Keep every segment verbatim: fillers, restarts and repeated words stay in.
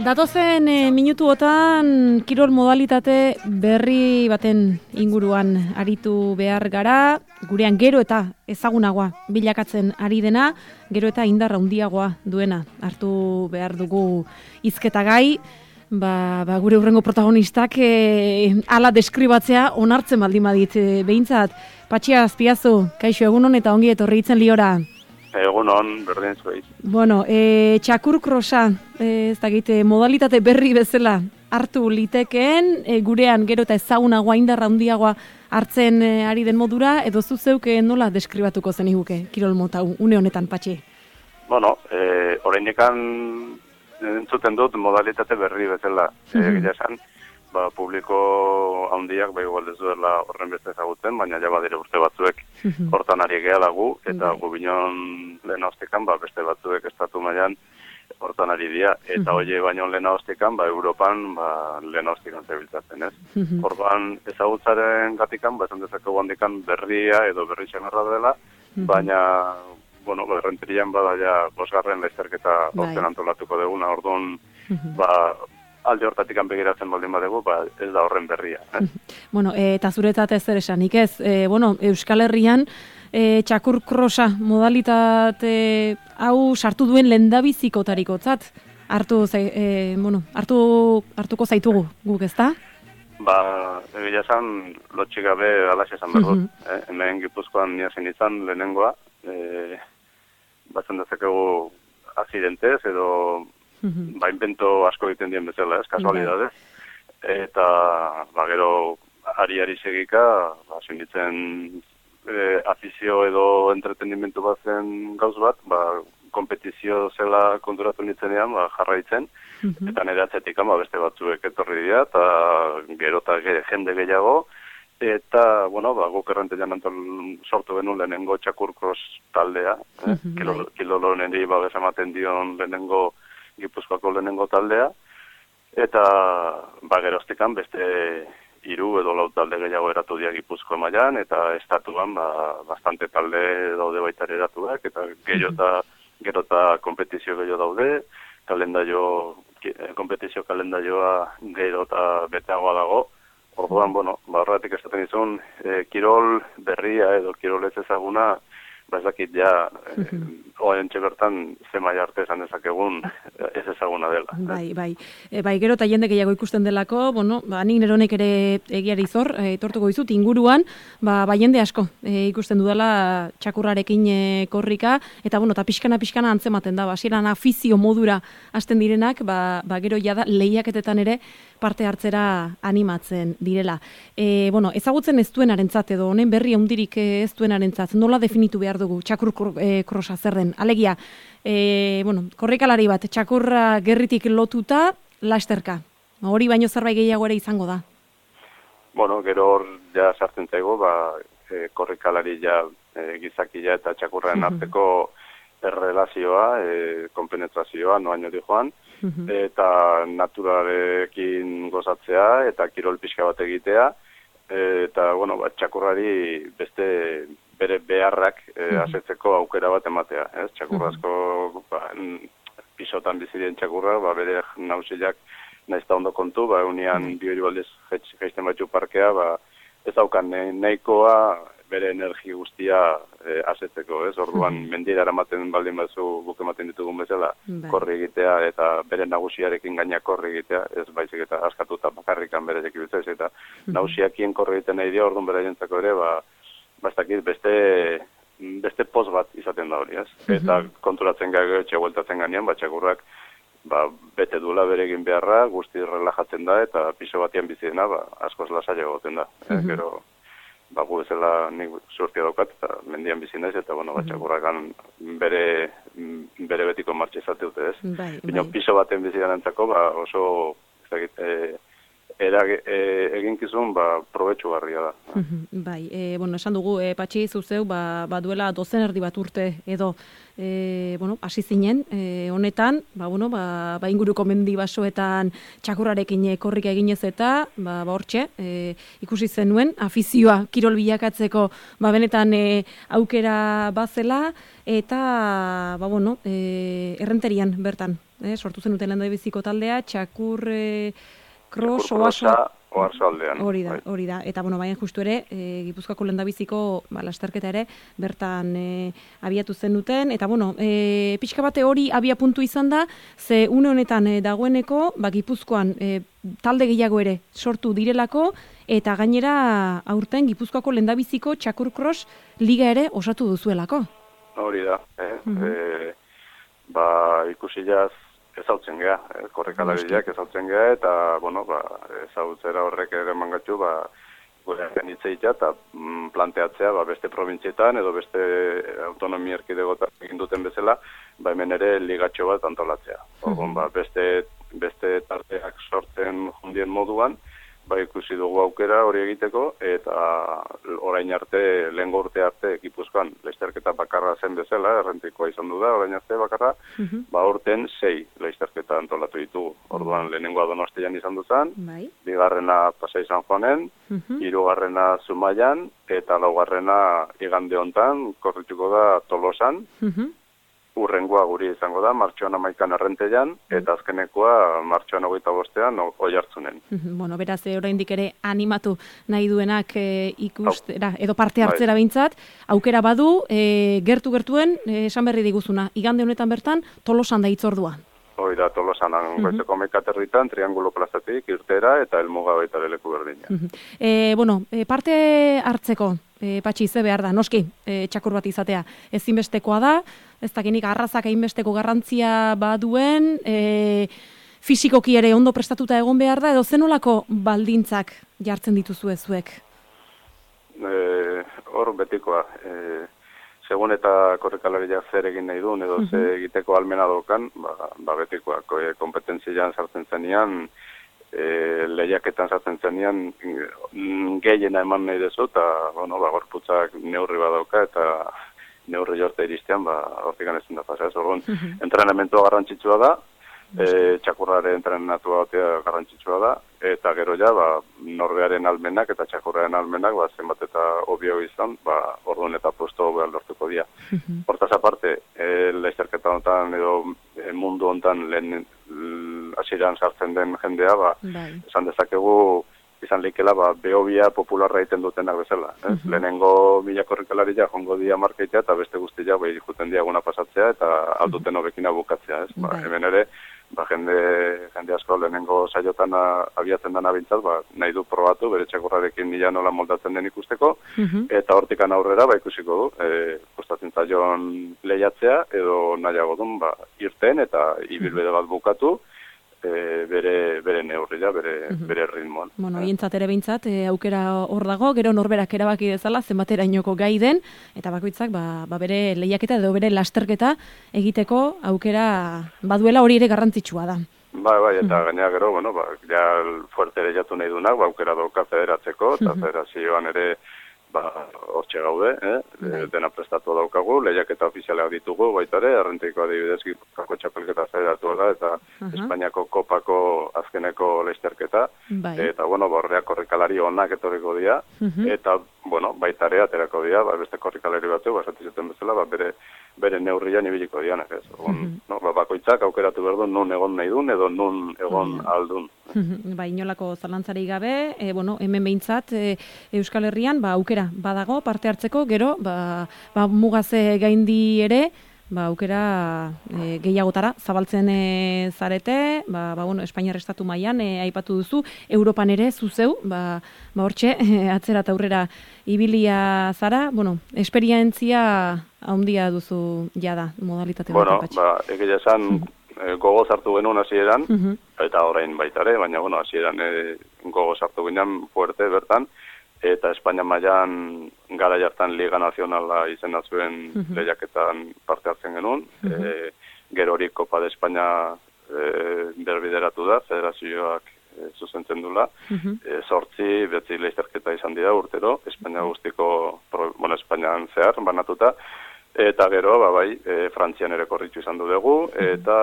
Datozen e, minutuotan kirol modalitate berri baten inguruan aritu behar gara, gurean gero eta ezagunagoa bilakatzen ari dena, gero eta indarra handiagoa duena hartu behar dugu hizketagai, ba, ba gure hurrengo protagonistak e, ala deskribatzea onartzen baldin badit e, behintzat. Patxia Azpiazu, kaixo egunon eta ongi etorri hitzen liora. Egunon, berdin zuei. Bueno, e, txakur krosa, e, ez dakit, modalitate berri bezala hartu litekeen, e, gurean gero eta ezagunagoa indarra handiagoa hartzen e, ari den modura, edo zu zeuk nola deskribatuko zeniguke kirol mota une honetan, Patxi? Bueno, e, oraindekan entzuten dut modalitate berri bezala. Mm-hmm. E, Gila esan, ba, publiko handiak ba igual ez duela horren beste ezagutzen, baina ja badire urte batzuek hortan ari gehala gu, eta gu binon lehen haustekan, ba, beste batzuek estatu mailan hortan ari dira, eta hoie baino lehen haustekan, ba, Europan ba, lehen haustekan zebiltzatzen, ez? Orban ezagutzaren gatikan, ba, esan dezakegu handikan berria edo berri txamarra dela, baina bueno, ba, errenterian bada ja bosgarren laizterketa horten antolatuko deguna, orduan, ba, alde hortatik begiratzen baldin badegu, ba, ez da horren berria. Eh? Bueno, e, eta zuretzat ez zer esanik ez, e, bueno, Euskal Herrian e, txakur krosa modalitate hau sartu duen lendabizikotarikotzat hartu, e, bueno, hartu, hartuko zaitugu guk, ezta? Ba, egia esan, lotxik gabe alaxe esan behar dut. eh? Hemen Gipuzkoan niazen izan lehenengoa, e, batzen dezakegu aksidentez edo Mm-hmm. ba, invento asko egiten dien bezala, ez, kasualidadez. Eta, ba, gero, ari-ari segika, ba, sinitzen e, afizio edo entretenimentu bat zen gauz bat, ba, kompetizio zela konturatu nitzenean, ba, jarraitzen, mm-hmm. eta nire atzetik ba, beste batzuek etorri dira, eta gero eta ge, jende gehiago, eta, bueno, ba, guk errenteian antol sortu genuen lehenengo txakurkros taldea, eh? mm-hmm. Kilo, kilolo niri ba, bezamaten dion lehenengo Gipuzkoako lehenengo taldea, eta ba, geroztikan beste hiru edo lau talde gehiago eratu dira Gipuzkoa mailan, eta estatuan ba, bastante talde daude baita eratuak, eta gero eta gero eta kompetizio gehiago daude, kalendario, kompetizio kalendarioa gero eta beteagoa dago. Orduan, bueno, ba, horretik esaten izun, e, kirol berria edo kirol ez ezaguna, ba ez dakit ja, eh, oaintxe bertan zemai arte esan dezakegun ez ezaguna dela. Bai, bai. E, bai, gero eta jende gehiago ikusten delako, bueno, ba, nik neronek ere egiari zor, e, tortuko dizut, inguruan, ba, ba jende asko e, ikusten dudala txakurrarekin e, korrika, eta bueno, eta pixkana-pixkana antzematen da, hasieran afizio modura hasten direnak, ba, ba gero jada lehiaketetan ere parte hartzera animatzen direla. E, bueno, ezagutzen ez duenarentzat edo honen berri handirik ez duenarentzat, nola definitu behar dugu txakur e, krosa zer den? Alegia, e, bueno, korrikalari bat, txakurra gerritik lotuta, lasterka. Hori baino zerbait gehiago ere izango da. Bueno, gero hor ja sartzen zaigu, ba, e, korrikalari ja e, gizakia eta txakurraren arteko errelazioa, e, konpenetrazioa, noaino di joan, eta naturarekin gozatzea, eta kirol pixka bat egitea, eta, bueno, ba, txakurrari beste bere beharrak e, asetzeko aukera bat ematea, ez? Txakurrazko, ba, pisotan bizirien txakurra, ba, bere nausiak nahiz da ondo kontu, ba, unian bihori baldez jaisten batzu parkea, ba, ez daukan nahikoa bere energi guztia e, asetzeko, ez? Orduan, mendira eramaten baldin batzu guk ematen ditugun bezala, korri egitea, eta bere nagusiarekin gaina korri egitea, ez baizik eta askatuta bakarrikan bere jekibiltzez, eta nagusiakien korri egiten nahi dira, orduan bere jentzako ere, ba, bastakit beste beste poz bat izaten da hori, ez? Eta konturatzen gago etxe bueltatzen ganean, ba, txakurrak ba, bete duela bere egin beharra, guzti relajatzen da, eta piso batian bizi dena, ba, askoz lasaiago goten da. Uh-huh. Eh, gero, ba, gu bezala nik surtia daukat, eta mendian bizi naiz, eta, bueno, ba, txakurrakan bere, bere betiko martxe izate dute, ez? Bai, Bino, bai. Piso baten bizi denantzako, ba, oso, ez dakit, e, erage, e, eginkizun ba, probetxugarria da. Bai, e, bueno, esan dugu, e, Patxi, zuzeu, ba, ba duela dozen erdi bat urte edo, e, bueno, hasi zinen, e, honetan, ba, bueno, ba, ba inguruko mendi basoetan txakurrarekin korrika eginez eta, ba, ba hortxe, e, ikusi zenuen, afizioa kirol bilakatzeko, ba, benetan e, aukera bazela, eta, ba, bueno, e, errenterian bertan, e, sortu zenuten lehendabiziko taldea, txakur... E, Cross, oasoa, oarsoaldean. Hori da, hori da. Eta, bueno, baina justu ere, e, Gipuzkoako lehendabiziko ba, lasterketa ere, bertan e, abiatu zen duten. Eta, bueno, e, pixka bate hori abia puntu izan da, ze une honetan e, dagoeneko, ba, Gipuzkoan e, talde gehiago ere sortu direlako, eta gainera aurten Gipuzkoako lehendabiziko Txakur Cross liga ere osatu duzuelako. Hori da. Eh? Mm-hmm. e, ba, ikusi jaz, ezautzen geha, korrekalariak ezautzen geha, eta, bueno, ba, ezautzera horrek ere mangatxu, ba, gure genitzeita, eta mm, planteatzea, ba, beste provintzietan, edo beste autonomia erkidegotan egin duten bezala, ba, hemen ere ligatxo bat antolatzea. Orduan, ba, beste, beste tarteak sortzen jundien moduan, ba, ikusi dugu aukera hori egiteko, eta orain arte, lehen urte arte, Gipuzkoan, lasterketa bakarra zen bezala, errentikoa izan du da, orain arte bakarra, uh-huh. ba, urten sei lasterketa antolatu ditugu. Orduan, lehenengoa Donostian izan duzan, bai. Bigarrena Pasai San Juanen, uh-huh. hirugarrena Zumaian, eta laugarrena igande hontan, korrituko da Tolosan, uh-huh. urrengoa guri izango da, martxoan amaikan errentean, eta azkenekoa martxoan hogeita bostean oi hartzunen. Bueno, beraz, oraindik ere animatu nahi duenak e, ikustera, edo parte hartzera behintzat, aukera badu, e, gertu-gertuen, e, esan berri diguzuna, igande honetan bertan, Tolosan da hitzordua. Hoi da, Tolosan, uh-huh. goizeko mekaterritan, Triangulo plazatik, irtera, eta elmuga baita leku berdina. Uh-huh. e, bueno, e, parte hartzeko, e, Patxi, ze behar da, noski, e, txakur bat izatea, ezinbestekoa da, ez dakinik arrazak hainbesteko garrantzia baduen, e, fisikoki ere ondo prestatuta egon behar da, edo zenolako baldintzak jartzen dituzue zuek? Hor e, betikoa, e, segun eta korrekalariak zer egin nahi duen, edo uh-huh. ze egiteko almena dokan, ba, ba betikoa, kompetentzian sartzen zenean, e, lehiaketan sartzen zenean, gehiena eman nahi dezu, eta, bueno, ba, gorputzak neurri badauka, eta neurri jorte iristean, ba, hortik ganezten da pasa. Orduan, uh-huh. entrenamentua garrantzitsua da, e, txakurraren entrenatua garrantzitsua da, eta gero ja, ba, norbearen almenak eta txakurraren almenak, ba, zenbat eta obio izan, ba, orduan eta posto behar lortuko dira. Uh-huh. Hortaz aparte, e, lasterketa honetan edo e, mundu honetan lehen hasieran sartzen den jendea, ba, bai. Esan dezakegu, izan leikela, ba, behobia popularra egiten dutenak bezala. Ez? Uh-huh. Lehenengo mila korrikalaria jongo dia markeitea, eta beste guztia bai juten diaguna pasatzea, eta alduten hobekina bukatzea. Ez? Ba, hemen ere, ba, jende, jende asko lehenengo saiotan abiatzen dana bintzat, ba, nahi du probatu, bere txakurrarekin nila nola moldatzen den ikusteko, uh-huh. eta hortikan aurrera, ba, ikusiko du, e, kostatzen zaion lehiatzea, edo nahiago dun, ba, irten, eta ibilbide bat bukatu, E, bere, bere neurria, bere, uh-huh. bere ritmoan. Bueno, hientzat ere behintzat, e, aukera hor dago, gero norberak erabaki dezala, zenbatera inoko gai den, eta bakoitzak ba, ba bere lehiaketa edo bere lasterketa egiteko aukera baduela hori ere garrantzitsua da. Bai, bai, eta uh-huh. gainera gero, bueno, ba, ja fuerte ere jatu nahi dunak, ba, aukera dauka federatzeko, eta uh-huh. federazioan ere ba, hortxe gaude, eh? Bai. Dena prestatu daukagu, lehiaketa ofizialeak ditugu, baita ere, errenteiko adibidez Gipuzkoako txapelketa federatua da, eta uh-huh. Espainiako kopako azkeneko lasterketa, bai. Eta, bueno, horreak korrikalari onak etorriko dira, uh-huh. eta, bueno, baita ere aterako dira, ba, beste korrikalari batzu, basatizuten bezala, ba, bere, bere neurrian ibiliko dianak, ez? Ogon, uh-huh. no, ba, bakoitzak aukeratu behar du, nun egon nahi dun, edo nun egon uh-huh. aldun. Ba, inolako zalantzari gabe, e, bueno, hemen behintzat, e, Euskal Herrian, ba, aukera badago parte hartzeko, gero, ba, ba mugaze gaindi ere, ba, aukera e, gehiagotara zabaltzen e, zarete, ba, ba, bueno, Espainiar estatu mailan e, aipatu duzu, Europan ere zuzeu, ba, ba hortxe, e, atzera eta aurrera ibilia zara, bueno, esperientzia handia duzu jada modalitate bueno, bat. Bueno, ba, egia esan, mm. gogo zartu genuen hasieran, uh-huh. eta orain baitare, baina bueno, hasieran e, gogo zartu ginen fuerte bertan, eta Espainia mailan gara jartan Liga Nazionala izena zuen uh-huh. lehiaketan parte hartzen genuen, uh-huh. e, gero hori Copa de España e, berbideratu da, federazioak e, zuzentzen dula. E, sortzi, betzi leizterketa izan dira urtero, Espainia guztiko, pro, bueno, Espainian zehar, banatuta, eta gero, ba, bai, e, Frantzian ere korritu izan du dugu, eta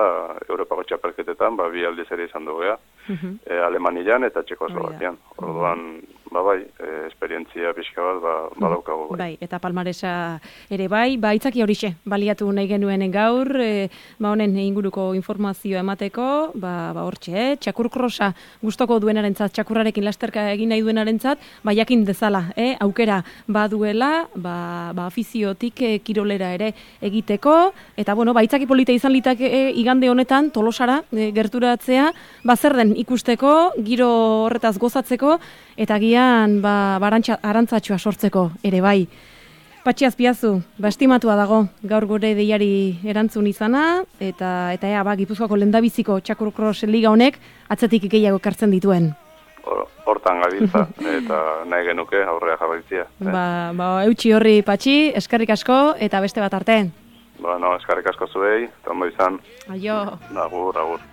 Europako txapelketetan, ba, bi aldiz ere izan dugu, e, Alemanian eta Txekoslovakian. Orduan, ba, bai, e, esperientzia pixka bat, ba, badaukagu, bai. Bai, eta palmaresa ere bai, ba, itzaki horixe, baliatu nahi genuen gaur, e, ba, honen inguruko informazioa emateko, ba, ba, hortxe, eh? Txakurkrosa gustoko duenarentzat, txakurrarekin lasterka egin nahi duenarentzat, ba, jakin dezala, eh? Aukera baduela, ba, ba, afiziotik e, kirolera ere egiteko, eta, bueno, ba, itzaki polita izan litake e, igande honetan, Tolosara e, gerturatzea, ba, zer den ikusteko, giro horretaz gozatzeko, eta gian ba, arantzatxoa sortzeko ere bai. Patxi Azpiazu, ba, estimatua dago gaur gure deiari erantzun izana, eta eta ea, ba, Gipuzkoako lehendabiziko txakurkros liga honek atzetik gehiago ekartzen dituen. Hortan gabiltza, eta nahi genuke aurrea jarraitzia. Eh? Ba, ba, eutxi horri, Patxi, eskerrik asko, eta beste bat arte. Ba, no, eskerrik asko zuei, eta ondo izan. Aio. Agur, agur.